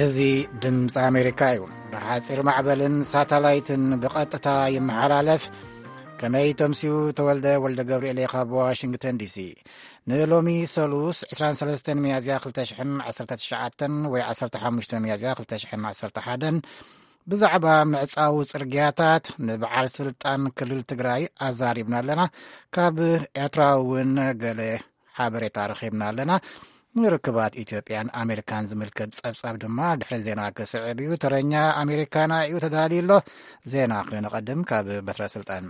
እዚ ድምፂ ኣሜሪካ እዩ። ብሓፂር ማዕበልን ሳተላይትን ብቐጥታ ይመሓላለፍ። ከመይ ተምስዩ? ተወልደ ወልደ ገብርኤል ካብ ዋሽንግተን ዲሲ። ንሎሚ ሰሉስ ዕስራን ሰለስተን ሚያዝያ ክልተ ሽሕን ዓሰርተ ትሽዓተን ወይ ዓሰርተ ሓሙሽተ ሚያዝያ ክልተ ሽሕን ዓሰርተ ሓደን ብዛዕባ ምዕጻው ጽርግያታት ንበዓል ስልጣን ክልል ትግራይ ኣዛሪብና ኣለና። ካብ ኤርትራ እውን ገለ ሓበሬታ ረኺብና ኣለና። ንርክባት ኢትዮጵያን ኣሜሪካን ዝምልከት ጸብጻብ ድማ ድሕሪ ዜና ክስዕብ እዩ። ተረኛ ኣሜሪካና እዩ ተዳልዩ ኣሎ። ዜና ክነቐድም ካብ በትረ ስልጣን።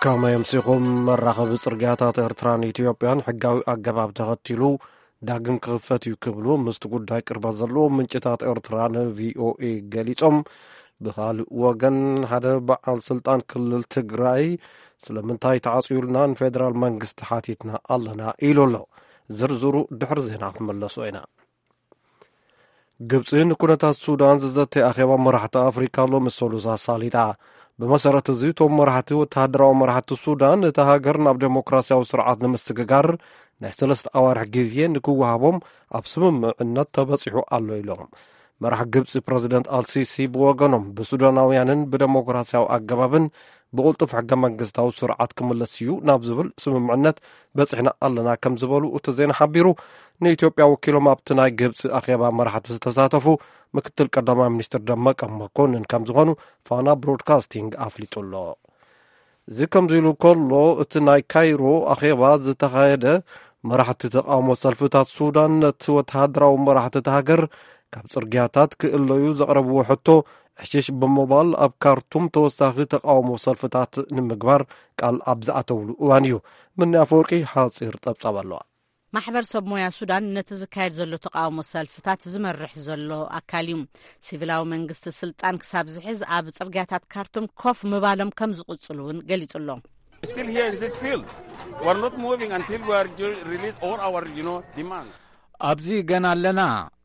ከመይ ኣምሲኹም? መራኸቢ ጽርግያታት ኤርትራን ኢትዮጵያን ሕጋዊ ኣገባብ ተኸቲሉ ዳግም ክኽፈት እዩ ክብሉ ምስቲ ጉዳይ ቅርበት ዘለዎም ምንጭታት ኤርትራ ንቪኦኤ ገሊጾም። ብኻልእ ወገን፣ ሓደ በዓል ስልጣን ክልል ትግራይ ስለምንታይ ተዓጽዩልና ንፌደራል መንግስቲ ሓቲትና ኣለና ኢሉ ኣሎ። ዝርዝሩ ድሕሪ ዜና ክንመለሶ ኢና። ግብጺ ንኩነታት ሱዳን ዝዘተ ኣኼባ መራሕቲ ኣፍሪካ ሎሚ ሰሉስ ኣሳሊጣ። ብመሰረት እዚ፣ እቶም መራሕቲ፣ ወተሃደራዊ መራሕቲ ሱዳን፣ እታ ሃገር ናብ ዴሞክራሲያዊ ስርዓት ንምስግጋር ናይ ሰለስተ ኣዋርሕ ግዜ ንክወሃቦም ኣብ ስምምዕነት ተበጺሑ ኣሎ ኢሎም። መራሕ ግብጺ ፕረዚደንት ኣልሲሲ ብወገኖም፣ ብሱዳናውያንን ብደሞክራሲያዊ ኣገባብን ብቕልጡፍ ሕገ መንግስታዊ ስርዓት ክምለስ እዩ ናብ ዝብል ስምምዕነት በጺሕና ኣለና ከም ዝበሉ እቲ ዜና ሓቢሩ። ንኢትዮጵያ ወኪሎም ኣብቲ ናይ ግብጺ ኣኼባ መራሕቲ ዝተሳተፉ ምክትል ቀዳማይ ሚኒስትር ደመቀ መኮንን ከም ዝኾኑ ፋና ብሮድካስቲንግ ኣፍሊጡ ኣሎ። እዚ ከምዚ ኢሉ ከሎ፣ እቲ ናይ ካይሮ ኣኼባ ዝተኻየደ፣ መራሕቲ ተቃውሞ ሰልፍታት ሱዳን ነቲ ወተሃደራዊ መራሕቲ እቲ ሃገር ካብ ጽርግያታት ክእለዩ ዘቕረብዎ ሕቶ ዕሽሽ ብምባል፣ ኣብ ካርቱም ተወሳኺ ተቃውሞ ሰልፍታት ንምግባር ቃል ኣብ ዝኣተውሉ እዋን እዩ። ምኒ ኣፈወርቂ ሓጺር ጸብጻብ ኣለዋ። ማሕበር ሰብ ሞያ ሱዳን ነቲ ዝካየድ ዘሎ ተቃውሞ ሰልፍታት ዝመርሕ ዘሎ ኣካል እዩ። ሲቪላዊ መንግስቲ ስልጣን ክሳብ ዝሕዝ ኣብ ጽርግያታት ካርቱም ኮፍ ምባሎም ከም ዝቕጽሉ እውን ገሊጹ ኣሎ። Still here in this field. We're not moving until we are ju- release all our, you know, demands. ኣብዚ ገና ኣለና።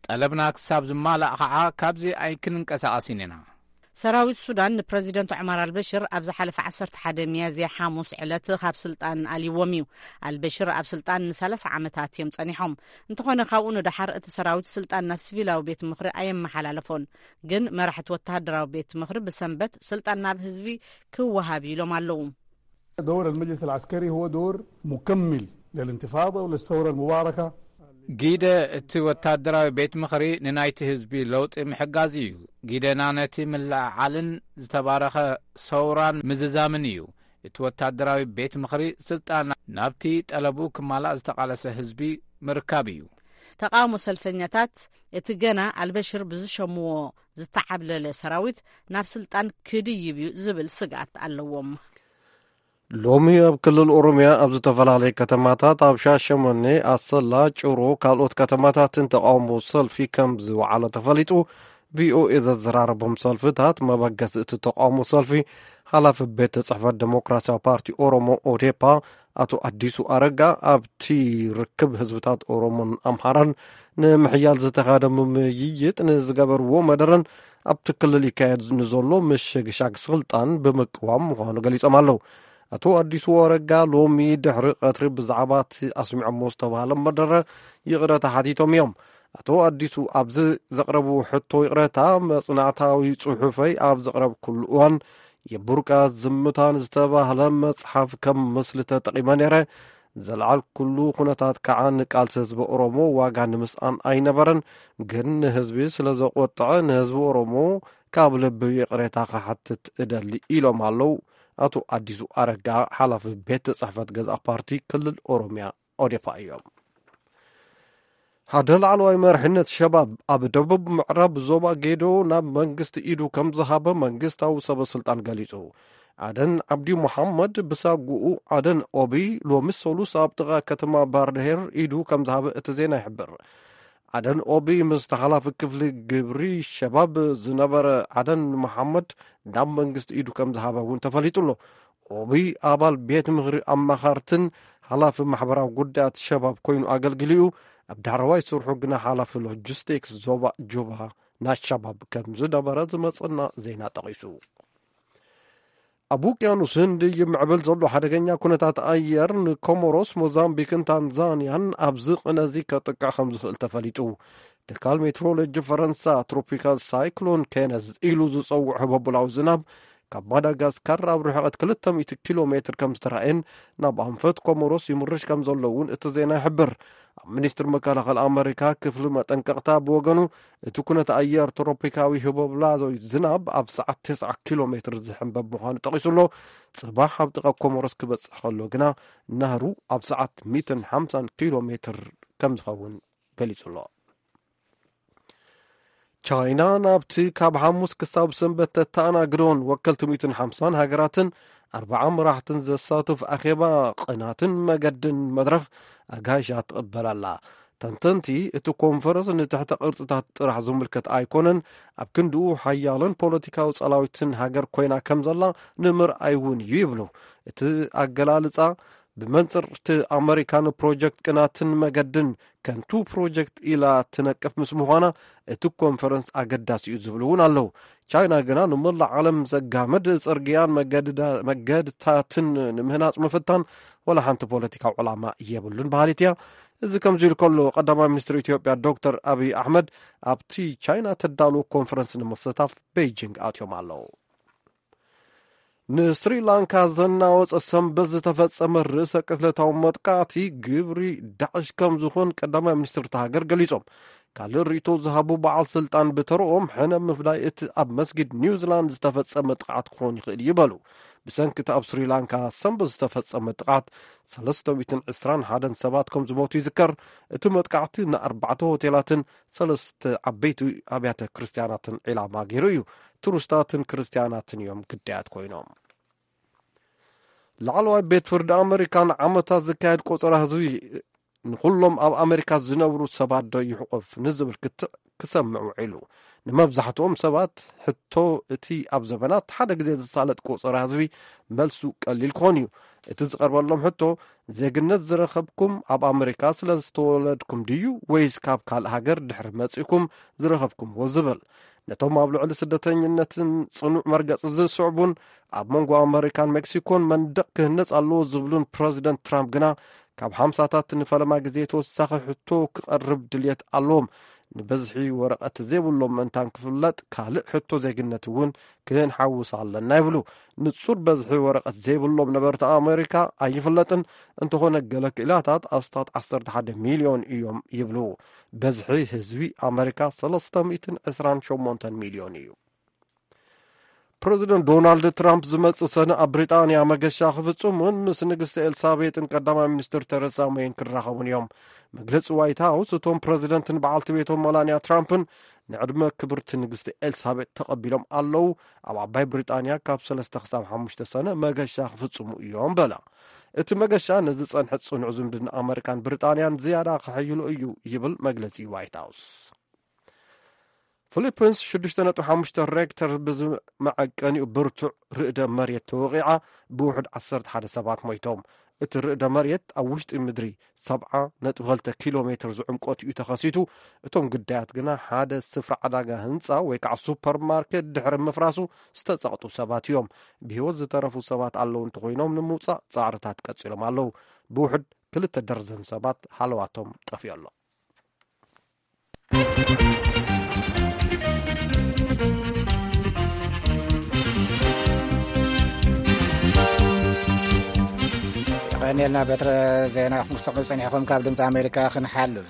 ጠለብና ክሳብ ዝማላእ ከዓ ካብዚ ኣይክንንቀሳቐስን ኢና። ሰራዊት ሱዳን ንፕረዚደንት ዑመር ኣልበሽር ኣብ ዝሓለፈ ዓሰርተ ሓደ ሚያዝያ ሓሙስ ዕለት ካብ ስልጣን ኣልይዎም እዩ። ኣልበሽር ኣብ ስልጣን ንሰላሳ ዓመታት እዮም ጸኒሖም። እንተኾነ፣ ካብኡ ንደሓር እቲ ሰራዊት ስልጣን ናብ ሲቪላዊ ቤት ምኽሪ ኣየመሓላለፎን። ግን መራሕቲ ወተሃደራዊ ቤት ምኽሪ ብሰንበት ስልጣን ናብ ህዝቢ ክወሃብ ኢሎም ኣለዉ። دور المجلس العسكري هو دور مكمل للانتفاضة وللثورة المباركة. ጊደ እቲ ወታደራዊ ቤት ምኽሪ ንናይቲ ህዝቢ ለውጢ ምሕጋዝ እዩ። ጊደና ነቲ ምልዕዓልን ዝተባረኸ ሰውራን ምዝዛምን እዩ። እቲ ወታደራዊ ቤት ምኽሪ ስልጣን ናብቲ ጠለቡ ክማላእ ዝተቓለሰ ህዝቢ ምርካብ እዩ። ተቃውሞ ሰልፈኛታት፣ እቲ ገና ኣልበሽር ብዝሸምዎ ዝተዓብለለ ሰራዊት ናብ ስልጣን ክድይብ እዩ ዝብል ስግኣት ኣለዎም። ሎሚ ኣብ ክልል ኦሮምያ ኣብ ዝተፈላለየ ከተማታት፣ ኣብ ሻሸመኔ፣ ኣሰላ፣ ጭሮ፣ ካልኦት ከተማታትን ተቃውሞ ሰልፊ ከም ዝወዓለ ተፈሊጡ። ቪኦኤ ዘዘራረቦም ሰልፍታት መበገሲ እቲ ተቃውሞ ሰልፊ፣ ሓላፊ ቤት ጽሕፈት ዴሞክራሲያዊ ፓርቲ ኦሮሞ፣ ኦዴፓ፣ ኣቶ ኣዲሱ ኣረጋ፣ ኣብቲ ርክብ ህዝብታት ኦሮሞን ኣምሓራን ንምሕያል ዝተኻደ ምምይይጥ ንዝገበርዎ መደረን ኣብቲ ክልል ይካየድ ንዘሎ ምሽግሻግ ስልጣን ብምቅዋም ምዃኑ ገሊጾም ኣለዉ። ኣቶ ኣዲሱ ኣረጋ ሎሚ ድሕሪ ቀትሪ ብዛዕባ እቲ ኣስሚዖሞ ዝተባህለ መደረ ይቕረታ ሓቲቶም እዮም። ኣቶ ኣዲሱ ኣብዚ ዘቕረብዎ ሕቶ ይቕረታ፣ መጽናዕታዊ ጽሑፈይ ኣብ ዘቕረብኩሉ እዋን፣ የቡርቃ ዝምታን ዝተባህለ መጽሓፍ ከም ምስሊ ተጠቒመ ነይረ። ዘልዓልኩሉ ኩነታት ከዓ ንቃልሲ ህዝቢ ኦሮሞ ዋጋ ንምስኣን ኣይነበረን፣ ግን ንህዝቢ ስለ ዘቆጥዐ፣ ንህዝቢ ኦሮሞ ካብ ልቢ ይቕሬታ ክሓትት እደሊ፣ ኢሎም ኣለዉ ኣቶ ኣዲሱ ኣረጋ፣ ሓላፊ ቤት ጽሕፈት ገዛእ ፓርቲ ክልል ኦሮምያ፣ ኦዴፓ፣ እዮም። ሓደ ላዕለዋይ መሪሕነት ሸባብ ኣብ ደቡብ ምዕራብ ዞባ ጌዶ ናብ መንግስቲ ኢዱ ከም ዝሃበ መንግስታዊ ሰበ ስልጣን ገሊጹ። ዓደን ዓብዲ መሓመድ ብሳጉኡ ዓደን ኦቢ ሎሚ ሰሉስ ኣብ ጥቓ ከተማ ባርድሄር ኢዱ ከም ዝሃበ እቲ ዜና ይሕብር። ዓደን ኦቢ ምስ ተሓላፊ ክፍሊ ግብሪ ሸባብ ዝነበረ ዓደን መሓመድ ናብ መንግስቲ ኢዱ ከም ዝሃበ እውን ተፈሊጡ ኣሎ። ኦቢ ኣባል ቤት ምኽሪ ኣማኻርትን ሓላፊ ማሕበራዊ ጉዳያት ሸባብ ኮይኑ ኣገልግሊኡ፣ ኣብ ዳሕረዋይ ስርሑ ግና ሓላፊ ሎጂስቲክስ ዞባ ጁባ ናይ ሸባብ ከም ዝነበረ ዝመጸና ዜና ጠቒሱ። ኣብ ውቅያኖስ ህንዲ ይምዕብል ዘሎ ሓደገኛ ኩነታት ኣየር ንኮሞሮስ፣ ሞዛምቢክን ታንዛንያን ኣብዚ ቅነ እዚ ከጥቅዕ ከም ዝኽእል ተፈሊጡ። ትካል ሜትሮሎጂ ፈረንሳ ትሮፒካል ሳይክሎን ኬነዝ ኢሉ ዝጸውዖ ህቦብላዊ ዝናብ ካብ ማዳጋስካር ኣብ ርሕቀት ክልተ ሚእቲ ኪሎ ሜትር ከም ዝተራእየን ናብ ኣንፈት ኮሞሮስ ይምርሽ ከም ዘሎ እውን እቲ ዜና ይሕብር። ኣብ ሚኒስትሪ መከላኸሊ ኣመሪካ ክፍሊ መጠንቀቕታ ብወገኑ፣ እቲ ኩነተ ኣየር ትሮፒካዊ ህቦብላዊ ዝናብ ኣብ ሰዓት ተስዓ ኪሎ ሜትር ዝሕንበብ ምዃኑ ጠቒሱ ኣሎ። ጽባሕ ኣብ ጥቓ ኮሞሮስ ክበጽሕ ከሎ ግና ናህሩ ኣብ ሰዓት ሚእትን ሓምሳን ኪሎ ሜትር ከም ዝኸውን ገሊጹ ኣሎ። ቻይና ናብቲ ካብ ሓሙስ ክሳብ ሰንበት ተተኣናግዶን ወከልቲ ሚእትን ሓምሳን ሃገራትን ኣርባዓ መራሕትን ዘሳትፍ ኣኼባ ቅናትን መገድን መድረኽ ኣጋይሻ ትቕበል ኣላ። ተንተንቲ፣ እቲ ኮንፈረንስ ንትሕተ ቅርጽታት ጥራሕ ዝምልከት ኣይኮነን፣ ኣብ ክንድኡ ሓያልን ፖለቲካዊ ጸላዊትን ሃገር ኮይና ከም ዘላ ንምርኣይ እውን እዩ ይብሉ። እቲ ኣገላልጻ ብመንጽር እቲ ኣመሪካ ንፕሮጀክት ቅናትን መገድን ከንቱ ፕሮጀክት ኢላ ትነቅፍ ምስ ምዃና፣ እቲ ኮንፈረንስ ኣገዳሲ እዩ ዝብሉ እውን ኣለዉ። ቻይና ግና ንመላእ ዓለም ዘጋምድ ጽርግያን መገድዳ-፣ መገድታትን ንምህናጽ ምፍታን ወላ ሓንቲ ፖለቲካዊ ዕላማ የብሉን በሃሊት እያ። እዚ ከምዚ ኢሉ ከሎ፣ ቀዳማይ ሚኒስትር ኢትዮጵያ ዶክተር ኣብይ ኣሕመድ ኣብቲ ቻይና ተዳልዎ ኮንፈረንስ ንምስታፍ ቤይጂንግ ኣትዮም ኣለዉ። ንስሪላንካ ዘናወጸ ሰንበት ዝተፈጸመ ርእሰ ቅትለታዊ መጥቃዕቲ ግብሪ ዳዕሽ ከም ዝኾን ቀዳማይ ሚኒስትር እታ ሃገር ገሊጾም። ካልእ ርእይቶ ዝሃቡ በዓል ስልጣን ብተረኦም፣ ሕነ ምፍዳይ እቲ ኣብ መስጊድ ኒውዚላንድ ዝተፈጸመ ጥቕዓት ክኾን ይኽእል እዩ በሉ። ብሰንኪ እቲ ኣብ ስሪላንካ ሰንበት ዝተፈጸመ ጥቕዓት ሰለስተ ሚእትን ዕስራን ሓደን ሰባት ከም ዝሞቱ ይዝከር። እቲ መጥቃዕቲ ንኣርባዕተ ሆቴላትን ሰለስተ ዓበይቲ ኣብያተ ክርስትያናትን ዒላማ ገይሩ እዩ። ቱሪስታትን ክርስትያናትን እዮም ግዳያት ኮይኖም። ላዕለዋይ ቤት ፍርዲ ኣመሪካ ንዓመታት ዝካየድ ቆጸራ ህዝቢ ንኹሎም ኣብ ኣመሪካ ዝነብሩ ሰባት ዶ ይሕቆፍ ንዝብል ክትዕ ክሰምዕ ውዒሉ። ንመብዛሕትኦም ሰባት ሕቶ እቲ ኣብ ዘበናት ሓደ ግዜ ዝሳለጥ ቆጸራ ህዝቢ መልሱ ቀሊል ክኾን እዩ። እቲ ዝቐርበሎም ሕቶ፣ ዜግነት ዝረኸብኩም ኣብ ኣመሪካ ስለ ዝተወለድኩም ድዩ፣ ወይስ ካብ ካልእ ሃገር ድሕሪ መጺእኩም ዝረኸብኩምዎ ዝብል። ነቶም ኣብ ልዕሊ ስደተኝነትን ጽኑዕ መርገጺ ዝስዕቡን ኣብ መንጎ ኣመሪካን ሜክሲኮን መንደቕ ክህነጽ ኣለዎ ዝብሉን ፕረዚደንት ትራምፕ ግና ካብ ሓምሳታት ንፈለማ ግዜ ተወሳኺ ሕቶ ክቐርብ ድልየት ኣለዎም። ንበዝሒ ወረቐት ዘይብሎም ምእንታን ክፍለጥ፣ ካልእ ሕቶ ዜግነት እውን ክንሓውስ ኣለና ይብሉ። ንጹር በዝሒ ወረቐት ዘይብሎም ነበርቲ ኣመሪካ ኣይፍለጥን። እንተኾነ፣ ገለ ክኢላታት ኣስታት ዓሰርተ ሓደ ሚልዮን እዮም ይብሉ። በዝሒ ህዝቢ ኣመሪካ ሰለስተ ሚእትን ዕስራን ሸሞንተን ሚልዮን እዩ። ፕረዚደንት ዶናልድ ትራምፕ ዝመጽእ ሰነ ኣብ ብሪጣንያ መገሻ ክፍጽሙን ምስ ንግስቲ ኤልሳቤጥን ቀዳማይ ሚኒስትር ተረሳ ሜይን ክራኸቡን እዮም። መግለጺ ዋይት ሃውስ፣ እቶም ፕረዚደንትን በዓልቲ ቤቶም መላንያ ትራምፕን ንዕድመ ክብርቲ ንግስቲ ኤልሳቤጥ ተቐቢሎም ኣለዉ። ኣብ ዓባይ ብሪጣንያ ካብ ሰለስተ ክሳብ ሓሙሽተ ሰነ መገሻ ክፍጽሙ እዮም በለ። እቲ መገሻ ነዚ ጸንሐ ጽኑዕ ዝምድና ኣመሪካን ብሪጣንያን ዝያዳ ከሐይሎ እዩ ይብል መግለጺ ዋይት ሃውስ። ፊሊፒንስ ሽዱሽተ ነጥቢ ሓሙሽተ ሬክተር ብዝመዐቀኒኡ ብርቱዕ ርእደ መሬት ተወቒዓ፣ ብውሕድ ዓሰርተ ሓደ ሰባት ሞይቶም። እቲ ርእደ መሬት ኣብ ውሽጢ ምድሪ ሰብዓ ነጥቢ ክልተ ኪሎ ሜትር ዝዕምቆት እዩ ተኸሲቱ። እቶም ግዳያት ግና ሓደ ስፍራ ዕዳጋ ህንጻ ወይ ከዓ ሱፐርማርኬት ድሕሪ ምፍራሱ ዝተጸቕጡ ሰባት እዮም። ብህይወት ዝተረፉ ሰባት ኣለዉ እንተኾይኖም ንምውጻእ ጻዕርታት ቀጺሎም ኣለዉ። ብውሕድ ክልተ ደርዘን ሰባት ሃለዋቶም ጠፊኡ ኣሎ። የቐንየልና በትረ ዜና ክትሰምዑ ጸኒሕኹም ካብ ድምፂ ኣሜሪካ ክንሓልፍ።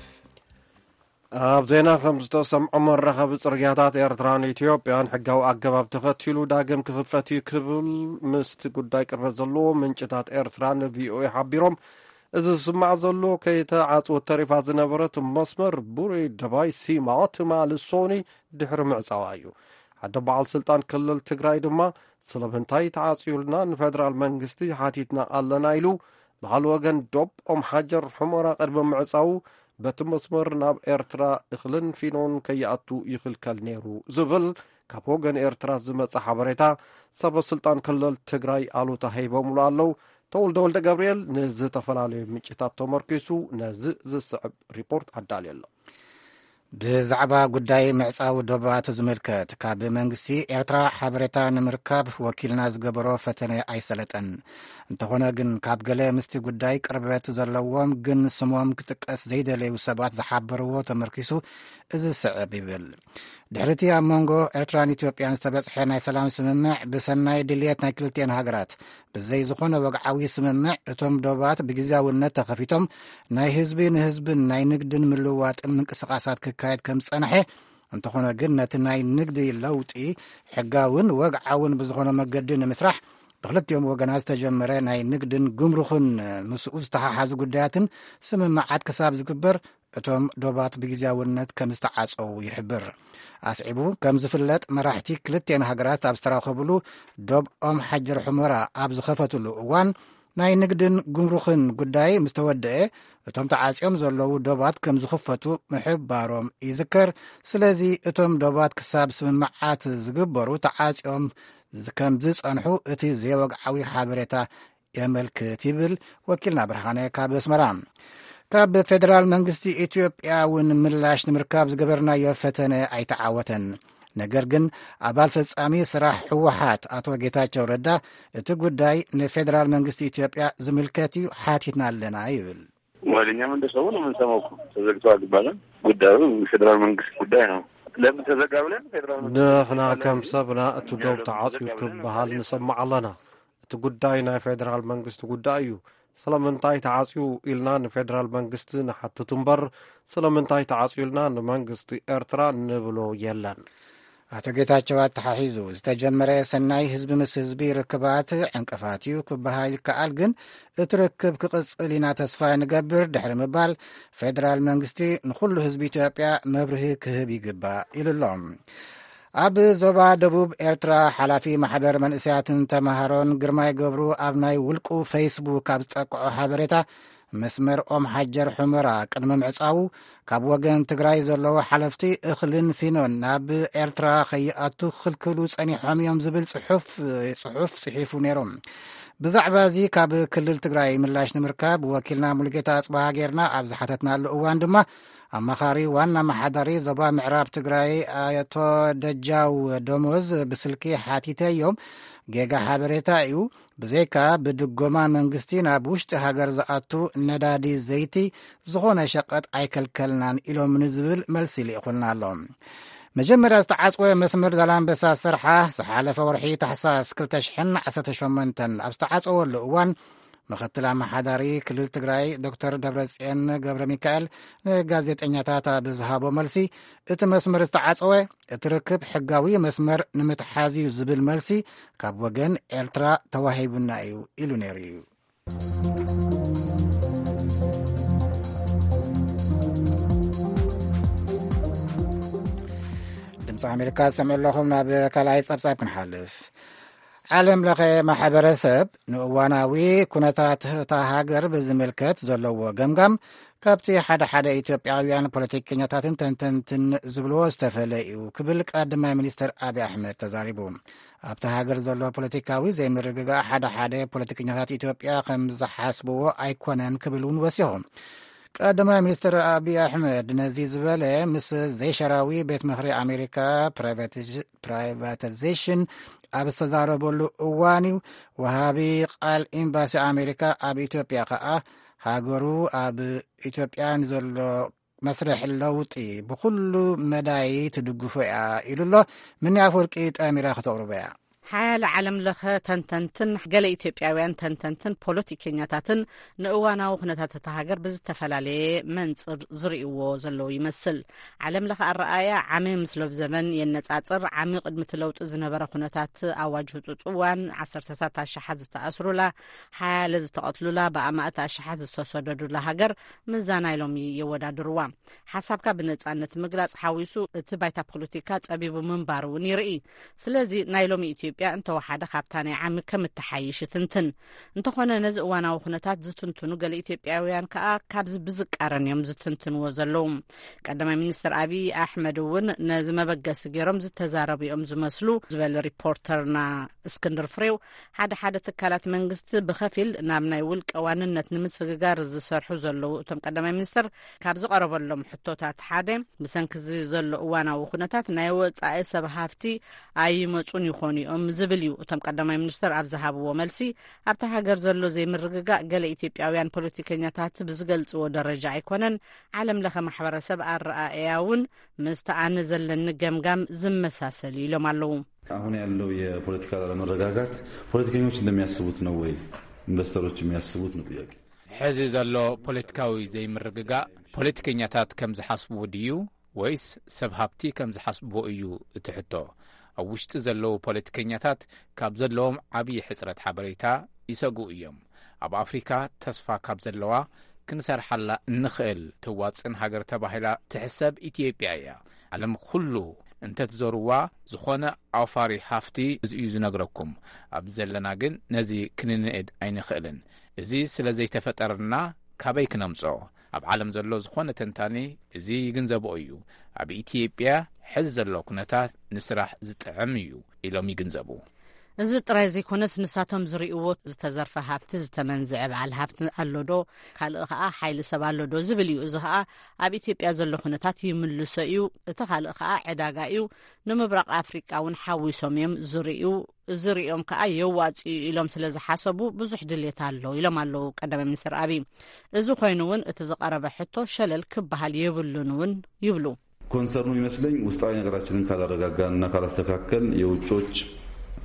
ኣብ ዜና ከም ዝተሰምዖ መራኸቢ ጽርግያታት ኤርትራን ኢትዮጵያን ሕጋዊ ኣገባብ ተኸቲሉ ዳግም ክኽፈት እዩ ክብል ምስቲ ጉዳይ ቅርበት ዘለዎ ምንጭታት ኤርትራ ንቪኦኤ ሓቢሮም። እዚ ዝስማዕ ዘሎ ከይተዓጽወት ተሪፋ ዝነበረት መስመር ቡሬ ደባይ ሲማ ትማሊ ሶኒ ድሕሪ ምዕጻዋ እዩ። ሓደ በዓል ስልጣን ክልል ትግራይ ድማ ስለምንታይ ተዓጽዩልና ንፌደራል መንግስቲ ሓቲትና ኣለና ኢሉ። በዓል ወገን ዶብ ኦም ሓጀር ሑመራ ቅድሚ ምዕጻዉ በቲ መስመር ናብ ኤርትራ እኽልን ፊኖን ከይኣቱ ይኽልከል ነይሩ ዝብል ካብ ወገን ኤርትራ ዝመጸ ሓበሬታ ሰበ ስልጣን ክልል ትግራይ ኣሉታ ሂቦምሉ ኣለዉ። ተወልደ ወልደ ገብርኤል ንዝተፈላለዩ ምንጭታት ተመርኪሱ ነዚ ዝስዕብ ሪፖርት ኣዳልዩ ኣሎ። ብዛዕባ ጉዳይ ምዕጻው ዶባት ዝምልከት፣ ካብ መንግስቲ ኤርትራ ሓበሬታ ንምርካብ ወኪልና ዝገበሮ ፈተነ ኣይሰለጠን። እንተኾነ ግን፣ ካብ ገለ ምስቲ ጉዳይ ቅርበት ዘለዎም ግን ስሞም ክጥቀስ ዘይደለዩ ሰባት ዝሓበርዎ ተመርኪሱ እዚ ስዕብ ይብል። ድሕሪቲ ኣብ መንጎ ኤርትራን ኢትዮጵያን ዝተበጽሐ ናይ ሰላም ስምምዕ፣ ብሰናይ ድልየት ናይ ክልቲኤን ሃገራት፣ ብዘይ ዝኾነ ወግዓዊ ስምምዕ፣ እቶም ዶባት ብግዝያውነት ተኸፊቶም፣ ናይ ህዝቢ ንህዝብን ናይ ንግድን ምልውዋጥን ምንቅስቓሳት ክካየድ ከም ዝጸንሐ፣ እንተኾነ ግን፣ ነቲ ናይ ንግዲ ለውጢ ሕጋውን ወግዓውን ብዝኾነ መገዲ ንምስራሕ፣ ብክልቲኦም ወገናት ዝተጀመረ ናይ ንግድን ጉምሩኽን ምስኡ ዝተሓሓዙ ጉዳያትን ስምምዓት ክሳብ ዝግበር፣ እቶም ዶባት ብግዝያውነት ከም ዝተዓጸዉ ይሕብር። ኣስዒቡ ከም ዝፍለጥ፣ መራሕቲ ክልቲኤን ሃገራት ኣብ ዝተራኸብሉ፣ ዶብ ኦም ሓጀር ሑመራ ኣብ ዝኸፈትሉ እዋን፣ ናይ ንግድን ጉምሩኽን ጉዳይ ምስ ተወደአ፣ እቶም ተዓጽዮም ዘለዉ ዶባት ከም ዝኽፈቱ ምሕባሮም ይዝከር። ስለዚ፣ እቶም ዶባት ክሳብ ስምምዓት ዝግበሩ ተዓጽዮም ዝ-፣ ከም ዝጸንሑ እቲ ዘይወግዓዊ ሓበሬታ የመልክት ይብል ወኪልና ብርሃነ ካብ ኣስመራ። ካብ ፌደራል መንግስቲ ኢትዮጵያ እውን ምላሽ ንምርካብ ዝገበርናዮ ፈተነ ኣይተዓወተን። ነገር ግን፣ ኣባል ፈጻሚ ስራሕ ህወሓት ኣቶ ጌታቸው ረዳ፣ እቲ ጉዳይ ንፌደራል መንግስቲ ኢትዮጵያ ዝምልከት እዩ፣ ሓቲትና ኣለና ይብል። ወደ እኛም እንደሰው ነው የምንሰማው እኮ። ተዘግቶ አልባለም። ጉዳዩ የፌዴራል መንግስት ጉዳይ ነው። ለምን ተዘጋ ብለን ፌዴራል መንግስት ንሕና ከም ሰብና እቲ ዶብ ተዓጽዩ ክበሃል ንሰማዕ ኣለና። እቲ ጉዳይ ናይ ፌደራል መንግስቲ ጉዳይ እዩ። ስለምንታይ ተዓጽዩ ኢልና ንፌደራል መንግስቲ ንሓትት እምበር፣ ስለምንታይ ተዓጽዩ ኢልና ንመንግስቲ ኤርትራ ንብሎ የለን። ኣቶ ጌታቸው ኣተሓሒዙ፣ ዝተጀመረ ሰናይ ህዝቢ ምስ ህዝቢ ርክባት ዕንቅፋት እዩ ክበሃል ይከኣል፣ ግን እቲ ርክብ ክቕጽል ኢና ተስፋ ንገብር ድሕሪ ምባል፣ ፌደራል መንግስቲ ንኹሉ ህዝቢ ኢትዮጵያ መብርሂ ክህብ ይግባእ ኢሉ ኣሎ። ኣብ ዞባ ደቡብ ኤርትራ፣ ሓላፊ ማሕበር መንእሰያትን ተማሃሮን ግርማይ ገብሩ ኣብ ናይ ውልቁ ፌስቡክ ኣብ ዝጠቅዖ ሓበሬታ፣ መስመር ኦም ሓጀር ሑመራ ቅድሚ ምዕጻዉ፣ ካብ ወገን ትግራይ ዘለዉ ሓለፍቲ እኽልን ፊኖን ናብ ኤርትራ ከይኣቱ ክኽልክሉ ጸኒሖም እዮም ዝብል ጽሑፍ፣ ጽሑፍ ጽሒፉ ነይሩ። ብዛዕባ እዚ ካብ ክልል ትግራይ ምላሽ ንምርካብ ወኪልና ሙሉጌታ ኣጽብሃ ጌርና ኣብ ዝሓተትናሉ እዋን ድማ፣ ኣማኻሪ ዋና ኣመሓዳሪ ዞባ ምዕራብ ትግራይ ኣቶ ደጃው ደሞዝ ብስልኪ ሓቲተዮም፣ ጌጋ ሓበሬታ እዩ፣ ብዘይካ ብድጎማ መንግስቲ ናብ ውሽጢ ሃገር ዝኣቱ ነዳዲ ዘይቲ ዝኾነ ሸቐጥ ኣይከልከልናን ኢሎም ንዝብል መልሲ ልኢኹልና ኣሎ። መጀመርያ ዝተዓጽወ መስመር ዛላምበሳ ሰርሓ ዝሓለፈ ወርሒ ታሕሳስ ክልተ ሽሕን ዓሰርተ ሸሞንተን ኣብ ዝተዓጸወሉ እዋን፣ ምኽትል ኣመሓዳሪ ክልል ትግራይ ዶክተር ደብረጽዮን ገብረ ሚካኤል ንጋዜጠኛታት ኣብ ዝሃቦ መልሲ፣ እቲ መስመር ዝተዓጸወ፣ እቲ ርክብ ሕጋዊ መስመር ንምትሓዝ እዩ ዝብል መልሲ ካብ ወገን ኤርትራ ተዋሂቡና እዩ ኢሉ ነይሩ እዩ። ድምፂ ኣሜሪካ ትሰምዑ ኣለኹም። ናብ ካልኣይ ጸብጻብ ክንሓልፍ። ዓለም ለኸ ማሕበረሰብ ንእዋናዊ ኩነታት እታ ሃገር ብዝምልከት ዘለዎ ገምጋም ካብቲ ሓደ ሓደ ኢትዮጵያውያን ፖለቲከኛታትን ተንተንትን ዝብልዎ ዝተፈለ እዩ ክብል ቀዳማይ ሚኒስትር ኣብይ ኣሕመድ ተዛሪቡ። ኣብቲ ሃገር ዘሎ ፖለቲካዊ ዘይምርግጋእ ሓደ ሓደ ፖለቲከኛታት ኢትዮጵያ ከም ዝሓስብዎ ኣይኮነን ክብል እውን ወሲኹ። ቀዳማይ ሚኒስትር ኣብይ ኣሕመድ ነዚ ዝበለ ምስ ዘይሸራዊ ቤት ምኽሪ ኣሜሪካ ፕራይቫቲዝ-፣ ፕራይቫታይዜሽን ኣብ ዝተዛረበሉ እዋን እዩ። ወሃቢ ቃል ኤምባሲ ኣሜሪካ ኣብ ኢትዮጵያ ከኣ ሃገሩ ኣብ ኢትዮጵያ ንዘሎ መስርሕ ለውጢ ብኹሉ መዳይ ትድግፎ እያ ኢሉ ኣሎ። ምኒ ኣፈወርቂ ጠሚራ ክተቕርቦ እያ። ሓያለ ዓለም ለኸ ተንተንትን ገለ ኢትዮጵያውያን ተንተንትን ፖለቲከኛታትን ንእዋናዊ ኩነታት እታ ሃገር ብዝተፈላለየ መንጽር ዝርእይዎ ዘለዉ ይመስል። ዓለም ለኸ ኣረኣእያ ዓሚ ምስ ሎብ ዘመን የነጻጽር። ዓሚ ቅድሚ እቲ ለውጢ ዝነበረ ኩነታት ኣዋጅ ህጹጽ እዋን፣ ዓሰርተታት ኣሽሓት ዝተኣስሩላ፣ ሓያለ ዝተቐትሉላ፣ ብኣማእት ኣሽሓት ዝተሰደዱላ ሃገር ምስዛ ናይ ሎሚ የወዳድርዋ። ሓሳብካ ብነጻነት ምግላጽ ሓዊሱ እቲ ባይታ ፖለቲካ ጸቢቡ ምንባሩ እውን ይርኢ። ስለዚ ናይ ሎሚ ኢትዮጵያ እንተወሓደ ካብታ ናይ ዓሚ ከም እትሓይሽ ይትንትን። እንተኾነ ነዚ እዋናዊ ኩነታት ዝትንትኑ ገለ ኢትዮጵያውያን ከኣ ካብዚ ብዝቃረን እዮም ዝትንትንዎ ዘለዉ። ቀዳማይ ሚኒስትር ኣብይ ኣሕመድ እውን ነዚ መበገሲ ገይሮም ዝተዛረቡ እዮም ዝመስሉ ዝበለ ሪፖርተርና እስክንድር ፍሬው፣ ሓደ ሓደ ትካላት መንግስቲ ብኸፊል ናብ ናይ ውልቀ ዋንነት ንምስግጋር ዝሰርሑ ዘለዉ እቶም ቀዳማይ ሚኒስትር፣ ካብ ዝቐረበሎም ሕቶታት ሓደ፣ ብሰንኪ እዚ ዘሎ እዋናዊ ኩነታት ናይ ወጻኢ ሰብ ሃፍቲ ኣይመጹን ይኾኑ እዮም ዝብል እዩ። እቶም ቀዳማይ ሚኒስትር ኣብ ዝሃብዎ መልሲ፣ ኣብታ ሃገር ዘሎ ዘይምርግጋእ ገለ ኢትዮጵያውያን ፖለቲከኛታት ብዝገልጽዎ ደረጃ ኣይኮነን፣ ዓለም ለኸ ማሕበረሰብ ኣረኣእያ እውን ምስቲ ኣነ ዘለኒ ገምጋም ዝመሳሰል እዩ ኢሎም ኣለዉ። አሁን ያለው የፖለቲካ አለመረጋጋት ፖለቲከኞች እንደሚያስቡት ነው ወይ ኢንቨስተሮች የሚያስቡት ነው ጥያቄ። ሕዚ ዘሎ ፖለቲካዊ ዘይምርግጋእ ፖለቲከኛታት ከም ዝሓስብዎ ድዩ ወይስ ሰብ ሃብቲ ከም ዝሓስብዎ እዩ እቲ ሕቶ። ኣብ ውሽጢ ዘለዉ ፖለቲከኛታት ካብ ዘለዎም ዓብዪ ሕጽረት ሓበሬታ ይሰግኡ እዮም። ኣብ ኣፍሪካ ተስፋ ካብ ዘለዋ ክንሰርሓላ እንኽእል ትዋጽን ሃገር ተባሂላ ትሕሰብ ኢትዮጵያ እያ። ዓለም ኩሉ እንተትዞርዋ ዝኾነ ኣውፋሪ ሃፍቲ እዩ ዝነግረኩም። ኣብዚ ዘለና ግን ነዚ ክንንእድ ኣይንኽእልን። እዚ ስለ ዘይተፈጠረና ካበይ ክነምጾ? ኣብ ዓለም ዘሎ ዝኾነ ተንታኒ እዚ ይግንዘቦ እዩ። ኣብ ኢትዮጵያ ሕዚ ዘሎ ኩነታት ንስራሕ ዝጥዕም እዩ ኢሎም ይግንዘቡ። እዚ ጥራይ ዘይኮነስ ንሳቶም ዝርእይዎ ዝተዘርፈ ሃብቲ ዝተመንዝዐ በዓል ሃብቲ ኣሎ ዶ፣ ካልእ ከኣ ሓይሊ ሰብ ኣሎ ዶ ዝብል እዩ። እዚ ከኣ ኣብ ኢትዮጵያ ዘሎ ኩነታት ይምልሶ እዩ። እቲ ካልእ ከኣ ዕዳጋ እዩ። ንምብራቕ ኣፍሪቃ እውን ሓዊሶም እዮም ዝርእዩ። ዝርእዮም ከኣ የዋጽኡ ኢሎም ስለ ዝሓሰቡ ብዙሕ ድሌት ኣሎ ኢሎም ኣለዉ ቀዳማይ ሚኒስትር ኣብይ። እዚ ኮይኑ እውን እቲ ዝቐረበ ሕቶ ሸለል ክበሃል የብሉን እውን ይብሉ። ኮንሰርኑ ይመስለኝ ውስጣዊ ነገራችንን ካላረጋጋንና ካላስተካከል የውጮች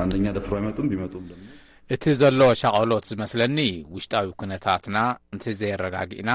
አንደኛ ደፍሮ አይመጡም፣ ቢመጡም ደግሞ እቲ ዘሎ ሻቐሎት ዝመስለኒ ውሽጣዊ ኩነታትና እንተዘየረጋጊእና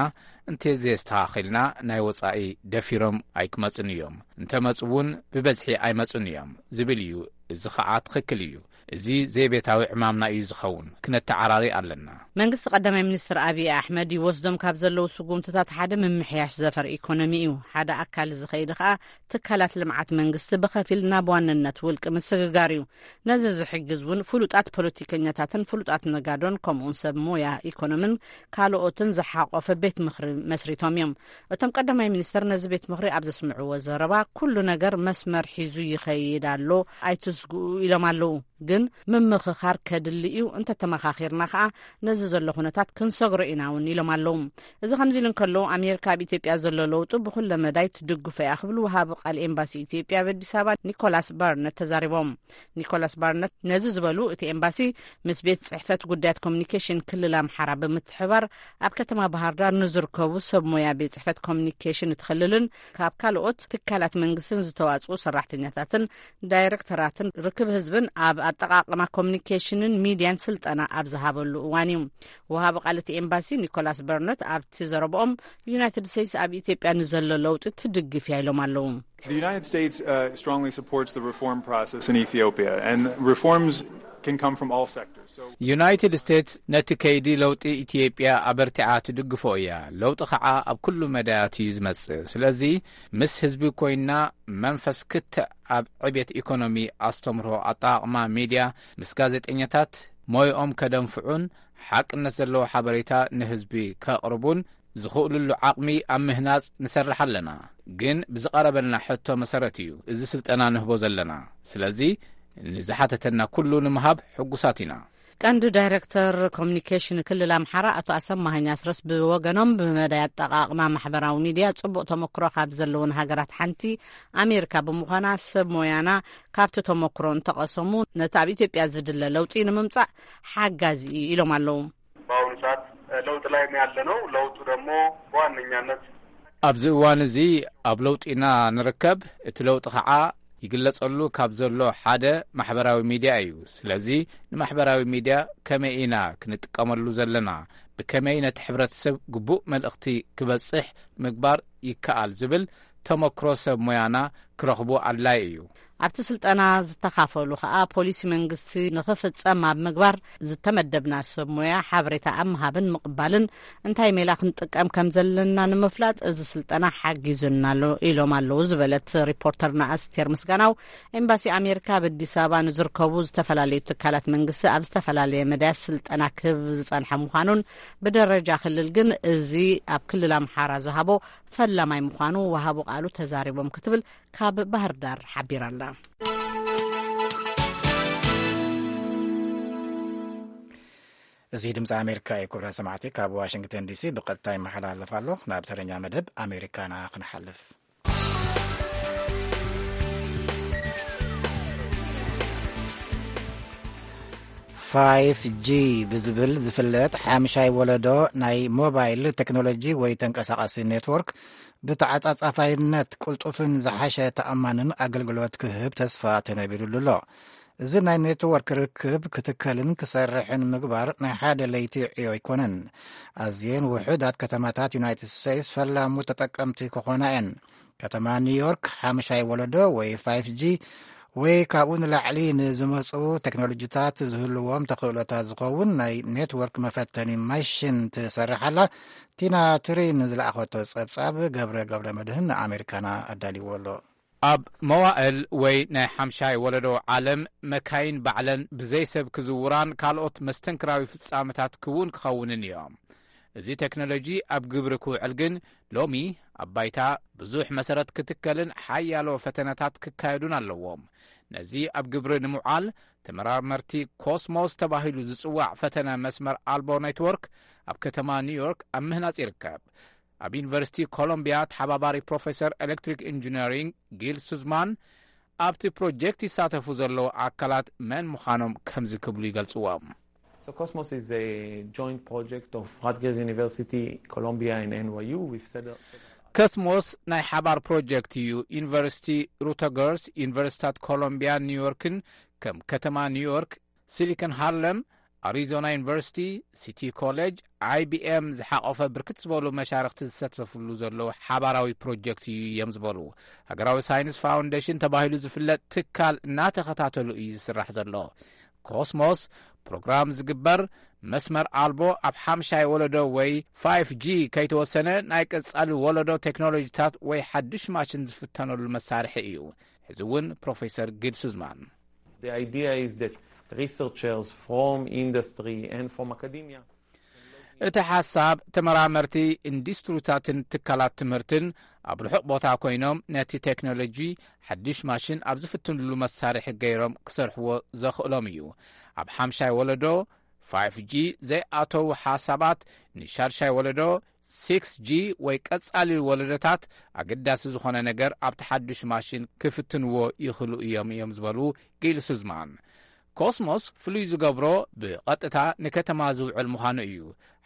እንተዘየስተኻኺልና ናይ ወጻኢ ደፊሮም ኣይክመጹን እዮም። እንተመጹ እውን ብበዝሒ ኣይመጹን እዮም ዝብል እዩ። እዚ ኸዓ ትኽክል እዩ። እዚ ዘይቤታዊ ዕማምና እዩ ዝኸውን። ክነተዓራሪ ኣለና። መንግስቲ ቀዳማይ ሚኒስትር ኣብይ ኣሕመድ ይወስዶም ካብ ዘለዉ ስጉምትታት ሓደ ምምሕያሽ ዘፈር ኢኮኖሚ እዩ። ሓደ ኣካል ዝኸይድ ኸኣ ትካላት ልምዓት መንግስቲ ብኸፊል ናብ ዋንነት ውልቂ ምስግጋር እዩ። ነዚ ዝሕግዝ እውን ፍሉጣት ፖለቲከኛታትን ፍሉጣት ነጋዶን ከምኡውን ሰብ ሞያ ኢኮኖምን ካልኦትን ዝሓቆፈ ቤት ምኽሪ መስሪቶም እዮም። እቶም ቀዳማይ ሚኒስትር ነዚ ቤት ምኽሪ ኣብ ዘስምዕዎ ዘረባ ኩሉ ነገር መስመር ሒዙ ይኸይድ ኣሎ ኣይትስግኡ ኢሎም ኣለዉ። ግን ምምኽኻር ከድሊ እዩ። እንተተመኻኺርና ከኣ ነዚ ዘሎ ኩነታት ክንሰግሮ ኢና እውን ኢሎም ኣለዉ። እዚ ከምዚ ኢሉ እንከሎ ኣሜሪካ ኣብ ኢትዮጵያ ዘሎ ለውጢ ብኩለ መዳይ ትድግፎ እያ ክብሉ ወሃቢ ቃል ኤምባሲ ኢትዮጵያ ኣብ ኣዲስ ኣበባ ኒኮላስ ባርነት ተዛሪቦም። ኒኮላስ ባርነት ነዚ ዝበሉ እቲ ኤምባሲ ምስ ቤት ጽሕፈት ጉዳያት ኮሚኒኬሽን ክልል ኣምሓራ ብምትሕባር ኣብ ከተማ ባህር ዳር ንዝርከቡ ሰብ ሞያ ቤት ጽሕፈት ኮሚኒኬሽን እቲ ክልልን ካብ ካልኦት ትካላት መንግስትን ዝተዋጽኡ ሰራሕተኛታትን ዳይረክተራትን ርክብ ህዝብን ኣብ ኣጠቓቕማ ኮሚኒኬሽንን ሚድያን ስልጠና ኣብ ዝሃበሉ እዋን እዩ። ወሃቢ ቃል እቲ ኤምባሲ ኒኮላስ በርነት ኣብቲ ዘረብኦም ዩናይትድ ስቴትስ ኣብ ኢትዮጵያ ንዘሎ ለውጢ ትድግፍ እያ ኢሎም ኣለዉ። The United States uh, strongly supports the reform process in Ethiopia, and reforms can come from all sectors. So, ዩናይትድ ስቴትስ ነቲ ከይዲ ለውጢ ኢትዮጵያ ኣበርቲዓ ትድግፎ እያ። ለውጢ ኸዓ ኣብ ኩሉ መዳያት እዩ ዝመጽእ። ስለዚ ምስ ህዝቢ ኮይና መንፈስ ክትዕ ኣብ ዕብየት ኢኮኖሚ፣ ኣስተምህሮ፣ ኣጠቓቕማ ሚድያ፣ ምስ ጋዜጠኛታት ሞይኦም ከደንፍዑን ሓቅነት ዘለዎ ሓበሬታ ንህዝቢ ከቕርቡን ዝኽእሉሉ ዓቕሚ ኣብ ምህናጽ ንሰርሕ ኣለና። ግን ብዝቐረበልና ሕቶ መሰረት እዩ እዚ ስልጠና ንህቦ ዘለና። ስለዚ ንዝሓተተና ኩሉ ንምሃብ ሕጉሳት ኢና። ቀንዲ ዳይረክተር ኮሚኒኬሽን ክልል ኣምሓራ ኣቶ ኣሰማሃኝ ኣስረስ ብወገኖም ብመዳይ ኣጠቓቕማ ማሕበራዊ ሚድያ ጽቡቕ ተመክሮ ካብ ዘለውን ሃገራት ሓንቲ ኣሜሪካ ብምዃና ሰብ ሞያና ካብቲ ተመክሮ እንተቐሰሙ ነቲ ኣብ ኢትዮጵያ ዝድለ ለውጢ ንምምጻእ ሓጋዚ እዩ ኢሎም ኣለዉ። በአሁኑ ሰዓት ለውጥ ላይ ነው ያለነው። ለውጡ ደግሞ በዋነኛነት ኣብዚ እዋን እዚ ኣብ ለውጢ ኢና ንርከብ። እቲ ለውጢ ኸዓ ይግለጸሉ ካብ ዘሎ ሓደ ማሕበራዊ ሚድያ እዩ። ስለዚ ንማሕበራዊ ሚድያ ከመይ ኢና ክንጥቀመሉ ዘለና፣ ብከመይ ነቲ ሕብረተሰብ ግቡእ መልእኽቲ ክበጽሕ ምግባር ይከኣል ዝብል ተመክሮ ሰብ ሞያና ክረኽቡ ኣድላይ እዩ። ኣብቲ ስልጠና ዝተኻፈሉ ከኣ ፖሊሲ መንግስቲ ንኽፍጸም ኣብ ምግባር ዝተመደብና ሰብ ሞያ ሓበሬታ ኣብ ምሃብን ምቕባልን እንታይ ሜላ ክንጥቀም ከም ዘለና ንምፍላጥ እዚ ስልጠና ሓጊዙና ኣሎ ኢሎም ኣለዉ ዝበለት ሪፖርተርና ኣስቴር ምስጋናው፣ ኤምባሲ ኣሜሪካ ኣብ ኣዲስ ኣበባ ንዝርከቡ ዝተፈላለዩ ትካላት መንግስቲ ኣብ ዝተፈላለየ መዳያት ስልጠና ክህብ ዝጸንሐ ምዃኑን፣ ብደረጃ ክልል ግን እዚ ኣብ ክልል ኣምሓራ ዝሃቦ ፈላማይ ምዃኑ ወሃቡ ቃሉ ተዛሪቦም ክትብል ካብ ባህር ዳር ሓቢራላ። እዚ ድምፂ ኣሜሪካ እዩ። ክቡራት ሰማዕቲ፣ ካብ ዋሽንግተን ዲሲ ብቐጥታ ይመሓላለፍ ኣሎ። ናብ ተረኛ መደብ ኣሜሪካና ክንሓልፍ። ፋይፍ ጂ ብዝብል ዝፍለጥ ሓምሻይ ወለዶ ናይ ሞባይል ቴክኖሎጂ ወይ ተንቀሳቓሲ ኔትወርክ ብተዓጻጻፋይነት ቅልጡፍን ዝሓሸ ተኣማንን ኣገልግሎት ክህብ ተስፋ ተነቢሩሉ ኣሎ። እዚ ናይ ኔትወርክ ርክብ ክትከልን ክሰርሕን ምግባር ናይ ሓደ ለይቲ ዕዮ ኣይኮነን። ኣዝየን ውሑዳት ከተማታት ዩናይትድ ስቴትስ ፈላሙ ተጠቀምቲ ክኾና እየን። ከተማ ኒውዮርክ ሓምሻይ ወለዶ ወይ ፋይፍ ጂ ወይ ካብኡ ንላዕሊ ንዝመጹ ቴክኖሎጂታት ዝህልዎም ተኽእሎታት ዝኸውን ናይ ኔትወርክ መፈተኒ ማሽን ትሰርሕ ኣላ። ቲና ትሪን ዝለኣኸቶ ጸብጻብ ገብረ ገብረ መድህን ንኣሜሪካና ኣዳልዎ ኣሎ። ኣብ መዋእል ወይ ናይ ሓምሻይ ወለዶ ዓለም፣ መካይን ባዕለን ብዘይ ሰብ ክዝውራን ካልኦት መስተንክራዊ ፍጻመታት ክውን ክኸውንን እዮም። እዚ ቴክኖሎጂ ኣብ ግብሪ ክውዕል ግን ሎሚ ኣብ ባይታ ብዙሕ መሰረት ክትከልን ሓያሎ ፈተነታት ክካየዱን ኣለዎም። ነዚ ኣብ ግብሪ ንምውዓል ተመራመርቲ ኮስሞስ ተባሂሉ ዝጽዋዕ ፈተነ መስመር ኣልቦ ኔትወርክ ኣብ ከተማ ኒውዮርክ ኣብ ምህናጽ ይርከብ። ኣብ ዩኒቨርሲቲ ኮሎምቢያ ተሓባባሪ ፕሮፌሰር ኤሌክትሪክ ኢንጂነሪንግ ጊል ሱዝማን ኣብቲ ፕሮጀክት ይሳተፉ ዘለዉ ኣካላት መን ምዃኖም ከምዚ ክብሉ ይገልጽዎም። So Cosmos is a joint project of Rutgers University, Columbia, and N Y U. We've set up ኮስሞስ ናይ ሓባር ፕሮጀክት እዩ። ዩኒቨርሲቲ ሩተገርስ፣ ዩኒቨርሲታት ኮሎምቢያን ኒውዮርክን ከም ከተማ ኒውዮርክ፣ ሲሊኮን ሃርለም፣ ኣሪዞና ዩኒቨርሲቲ፣ ሲቲ ኮሌጅ፣ I B M ዝሓቖፈ ብርክት ዝበሉ መሻርኽቲ ዝሳተፍሉ ዘለዉ ሓባራዊ ፕሮጀክት እዩ እዮም ዝበሉ። ሃገራዊ ሳይንስ ፋውንዴሽን ተባሂሉ ዝፍለጥ ትካል እናተኸታተሉ እዩ ዝስራሕ ዘሎ። ኮስሞስ ፕሮግራም ዝግበር መስመር ኣልቦ ኣብ ሓምሻይ ወለዶ ወይ ፋይፍ ጂ ከይተወሰነ ናይ ቀጻሊ ወለዶ ቴክኖሎጂታት ወይ ሓድሽ ማሽን ዝፍተነሉ መሳርሒ እዩ። ሕዚ እውን ፕሮፌሰር ጊል ሱዝማን The idea is that researchers from industry and from academia እቲ ሓሳብ ተመራመርቲ ኢንዱስትሪታትን ትካላት ትምህርትን ኣብ ርሑቕ ቦታ ኮይኖም ነቲ ቴክኖሎጂ ሓድሽ ማሽን ኣብ ዝፍትንሉ መሳርሒ ገይሮም ክሰርሕዎ ዘኽእሎም እዩ። ኣብ ሓምሻይ ወለዶ ፋይፍ ጂ ዘይኣተዉ ሓሳባት ንሻድሻይ ወለዶ ሲክስ ጂ ወይ ቀጻሊ ወለዶታት ኣገዳሲ ዝኾነ ነገር ኣብቲ ሓድሽ ማሽን ክፍትንዎ ይኽእሉ እዮም እዮም ዝበሉ ጊል ሱዝማን። ኮስሞስ ፍሉይ ዝገብሮ ብቐጥታ ንከተማ ዝውዕል ምዃኑ እዩ።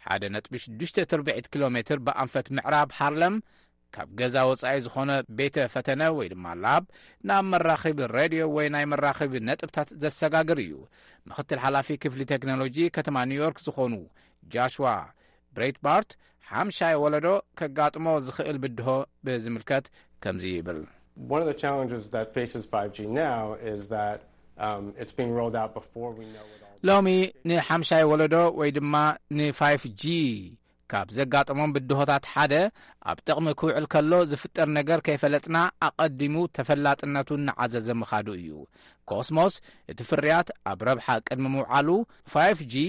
ሓደ ነጥቢ ሽዱሽተ ትርብዒት ኪሎ ሜትር ብኣንፈት ምዕራብ ሃርለም ካብ ገዛ ወጻኢ ዝኾነ ቤተ ፈተነ ወይ ድማ ላብ ናብ መራኸቢ ሬድዮ ወይ ናይ መራኸቢ ነጥብታት ዘሰጋግር እዩ። ምኽትል ሓላፊ ክፍሊ ቴክኖሎጂ ከተማ ኒውዮርክ ዝኾኑ ጃሽዋ ብሬትባርት ሓምሻይ ወለዶ ከጋጥሞ ዝኽእል ብድሆ ብዝምልከት ከምዚ ይብል። One of the challenges that faces five G now is that um, it's being rolled out before we know it all. ሎሚ ንሓምሻይ ወለዶ ወይ ድማ ንፋይፍ ጂ ካብ ዘጋጠሞም ብድሆታት ሓደ ኣብ ጥቕሚ ክውዕል ከሎ ዝፍጠር ነገር ከይፈለጥና ኣቐዲሙ ተፈላጥነቱ እናዓዘዘ ምኻዱ እዩ። ኮስሞስ እቲ ፍርያት ኣብ ረብሓ ቅድሚ ምውዓሉ ፋይፍ ጂ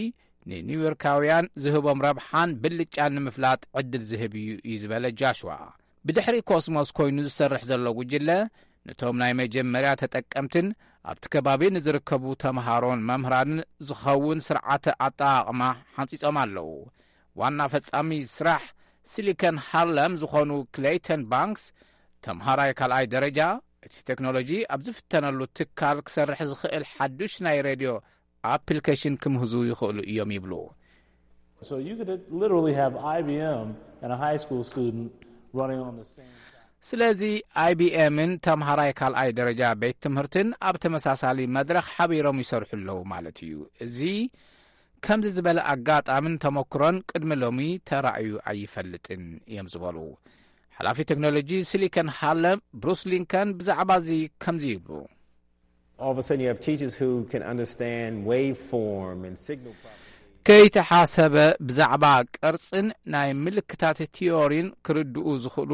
ንኒውዮርካውያን ዝህቦም ረብሓን ብልጫን ንምፍላጥ ዕድል ዝህብ እዩ እዩ ዝበለ ጃሽዋ። ብድሕሪ ኮስሞስ ኮይኑ ዝሰርሕ ዘሎ ጉጅለ ነቶም ናይ መጀመርያ ተጠቀምትን ኣብቲ ከባቢ ንዝርከቡ ተምሃሮን መምህራንን ዝኸውን ስርዓተ ኣጠቓቕማ ሓንጺጾም ኣለዉ። ዋና ፈጻሚ ስራሕ ሲሊከን ሃርለም ዝኾኑ ክሌይተን ባንክስ ተምሃራይ ካልኣይ ደረጃ እቲ ቴክኖሎጂ ኣብ ዝፍተነሉ ትካል ክሰርሕ ዝኽእል ሓዱሽ ናይ ሬድዮ ኣፕሊኬሽን ክምህዙ ይኽእሉ እዮም ይብሉ። So you could literally have I B M and a high school student running on the same track. ስለዚ I B M ን ተምሃራይ ካልኣይ ደረጃ ቤት ትምህርትን ኣብ ተመሳሳሊ መድረኽ ሓቢሮም ይሰርሑ ኣለዉ ማለት እዩ። እዚ ከምዚ ዝበለ ኣጋጣምን ተመክሮን ቅድሚ ሎሚ ተራእዩ ኣይፈልጥን እዮም ዝበሉ። ሓላፊ ቴክኖሎጂ ሲሊከን ሃለ ብሩስ ሊንከን ብዛዕባ እዚ ከምዚ ይብሉ። All of a sudden, you have teachers who can understand waveform and signal properties. ከይተሓሰበ ብዛዕባ ቅርጽን ናይ ምልክታት ቲዮሪን ክርድኡ ዝኽእሉ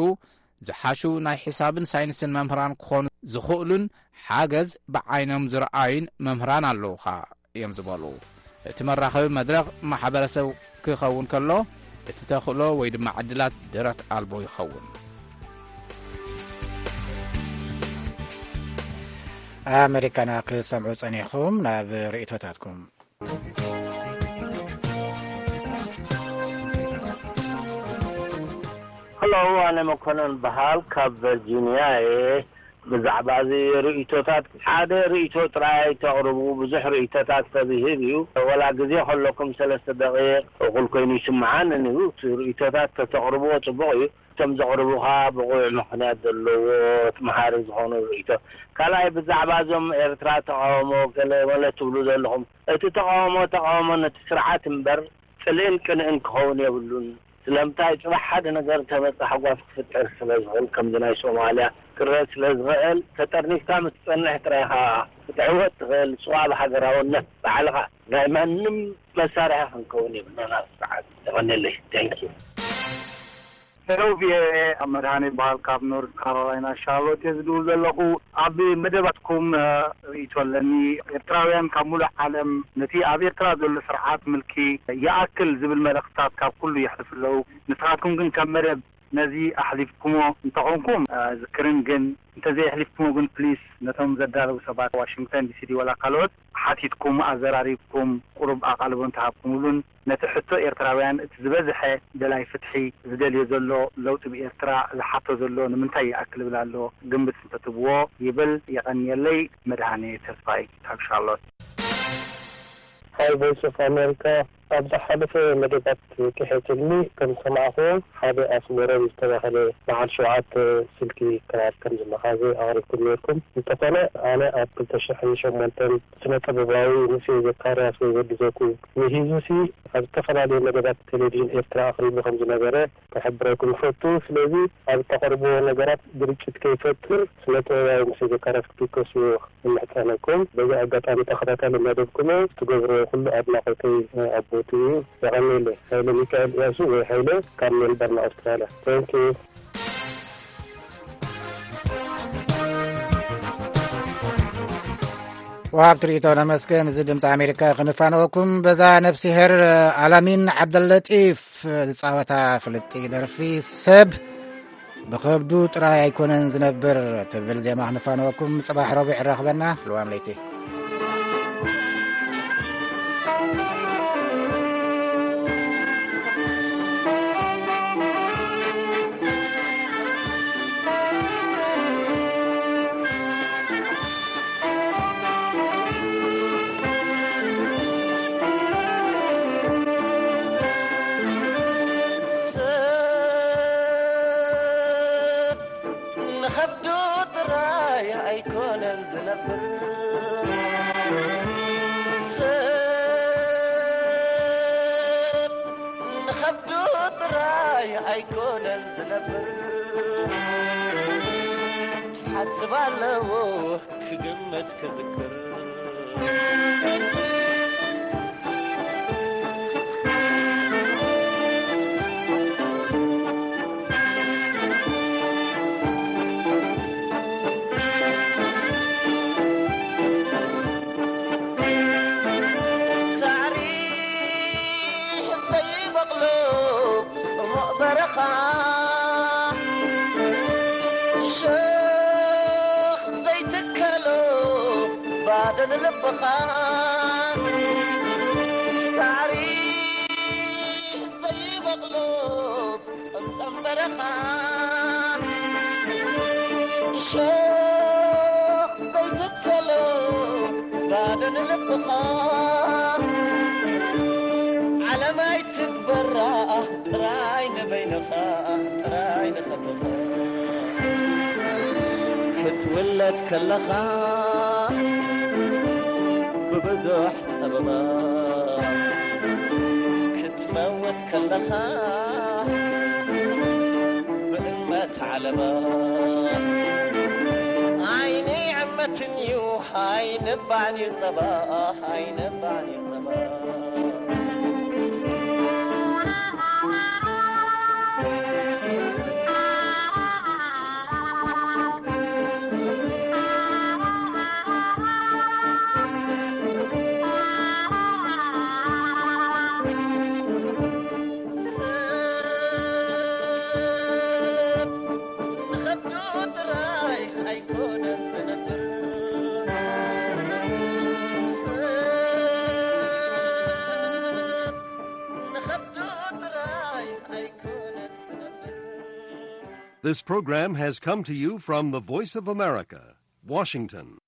ዝሓሹ ናይ ሒሳብን ሳይንስን መምህራን ክኾኑ ዝኽእሉን ሓገዝ ብዓይኖም ዝረኣዩን መምህራን ኣለዉኻ እዮም ዝበሉ። እቲ መራኸቢ መድረኽ ማሕበረሰብ ክኸውን ከሎ፣ እቲ ተኽእሎ ወይ ድማ ዕድላት ደረት ኣልቦ ይኸውን። ኣመሪካና ክትሰምዑ ጸኒሕኩም። ናብ ርእይቶታትኩም። ሄሎ፣ ኣነ መኮነን በሃል ካብ ቨርጂንያ እየ። ብዛዕባ እዚ ርእይቶታት፣ ሓደ ርእይቶ ጥራይ ኣይተቕርቡ። ብዙሕ ርእይቶታት ሰብ ይህብ እዩ። ወላ ግዜ ከለኩም ሰለስተ ደቂቕ እኹል ኮይኑ ይስምዓኒ እዩ። እቲ ርእይቶታት ተተቕርብዎ ጽቡቕ እዩ። እቶም ዘቕርቡኻ ብቑዕ ምኽንያት ዘለዎ መሃሪ ዝኾኑ ርእይቶ። ካልኣይ፣ ብዛዕባ እዞም ኤርትራ ተቓውሞ ገለ መለ ትብሉ ዘለኹም፣ እቲ ተቓውሞ ተቓውሞ ነቲ ስርዓት እምበር ጽልእን ቅንእን ክኸውን የብሉን። ስለምንታይ፣ ጽባሕ ሓደ ነገር እንተመጸ ሓጓፍ ክፍጠር ስለ ዝኽእል፣ ከምዚ ናይ ሶማልያ ክረአ ስለ ዝኽእል፣ ተጠርኒፍካ ምስ ትጸንሕ ጥራይ ኢኻ ክትዕወት ትኽእል። ንስኻ ብሃገራውነት ባዕልኻ ናይ ማንም መሳርሒ ክንከውን የብልናን ኣብ ስርዓት። የቐንየለይ። Thank you። ሄሎ ቪኦኤ፣ ኣብ መድሃኔ ይበሃል፣ ካብ ኖርዝ ካሮላይና ሻርሎት እየ ዝድውል ዘለኹ። ኣብ መደባትኩም እ፣ ርእይቶ ኣለኒ። ኤርትራውያን ካብ ሙሉእ ዓለም ነቲ ኣብ ኤርትራ ዘሎ ስርዓት ምልኪ ይኣክል ዝብል መልእኽትታት ካብ ኩሉ የሕልፉ ኣለዉ። ንስኻትኩም ግን ከም መደብ ነዚ ኣሕሊፍኩሞ እንተኾንኩም እ፣ ዝክርን፣ ግን እንተዘየሕሊፍኩሞ ግን ፕሊስ ነቶም ዘዳለዉ ሰባት ዋሽንግተን ዲሲ ድዩ ወላ ካልኦት ሓቲትኩም ኣዘራሪብኩም ቁሩብ ኣቓልቦ እንተሃብኩምሉን ነቲ ሕቶ ኤርትራውያን እቲ ዝበዝሐ ደላይ ፍትሒ ዝደልዮ ዘሎ ለውጢ ብኤርትራ ዝሓቶ ዘሎ ንምንታይ ይኣክል ይብል ኣሎ ግምት እንተትብዎ ይብል። የቐንየለይ። መድሃኔ ተስፋይ ካብ ሻርሎት። Hi Voice of America። ኣብ ዝሓለፈ መደባት ክሕትልኒ ከም ዝሰማዕኹዎ ሓደ ኣስመሮም ዝተባህለ በዓል ሸውዓተ ስልኪ ክራር ከም ዝመኻዘ ኣቕሪብኩም ነርኩም። እንተኾነ ኣነ ኣብ ክልተ ሽሕን ሸሞንተን ስነ ጥበባዊ ሙሴ ዘካርያስ ወይ ወዲ ዘኩ ምሂዙሲ ኣብ ዝተፈላለዩ መደባት ቴሌቪዥን ኤርትራ ኣቕሪቡ ከም ዝነበረ ክሕብረኩም እፈቱ። ስለዚ ኣብ እተቕርብዎ ነገራት ግርጭት ከይፈጥር ስነ ጥበባዊ ሙሴ ዘካርያስ ክትውከስዎ ንምሕጸነኩም። በዚ ኣጋጣሚ ተኸታታሊ መደብኩም እየ። ትገብርዎ ኩሉ ኣድናቖተይ ኣብ ቦትኡ እዩ። የቐንየለይ። ሃይለ ሚካኤል እያሱ ወይ ሃይለ ካብ ሜልበርን ኣውስትራልያ። Thank you። ወሃብቲ ርእይቶ ነመስገን። እዚ ድምፂ ኣሜሪካ ክንፋነወኩም በዛ ነፍሲሄር ኣላሚን ዓብደለጢፍ ዝፃወታ ፍልጥቲ ደርፊ ሰብ ብኸብዱ ጥራይ ኣይኮነን ዝነብር ትብል ዜማ ክንፋነወኩም። ጽባሕ ረቡዕ ይራኽበና። ልዋም ለይቲ። ንኸብዱ ጥራይ ኣይኮነን ዝነብር፣ ሰብ ንኸብዱ ጥራይ ኣይኮነን ዝነብር። ሓስብ ኣለዎ ክግመት ክዝክር። ሳዕሪ ዘይበቕሎ ጽሙቕ በረኻ፣ ሸኽ ዘይትከሎ ባዶ ንልብኻ። ሳዕሪ ዘይበቕሎ ጸምጸም በረኻ፣ ሸኽ ዘይትከሎ ባዶ ንልብኻ። ዓለም ኣይትግበራ ጥራይ ንበይንኻ፣ ጥራይ ንኸብኻ። ክትውለድ ከለኻ ብብዙሕ ጸበባ፣ ክትመውት ከለኻ ብእመት ዓለባ ኣይንዕመትን እዩ ኣይንባዕን እዩ ጸባ ኣይንባዕን እዩ ጸባ This program has come to you from the Voice of America, Washington.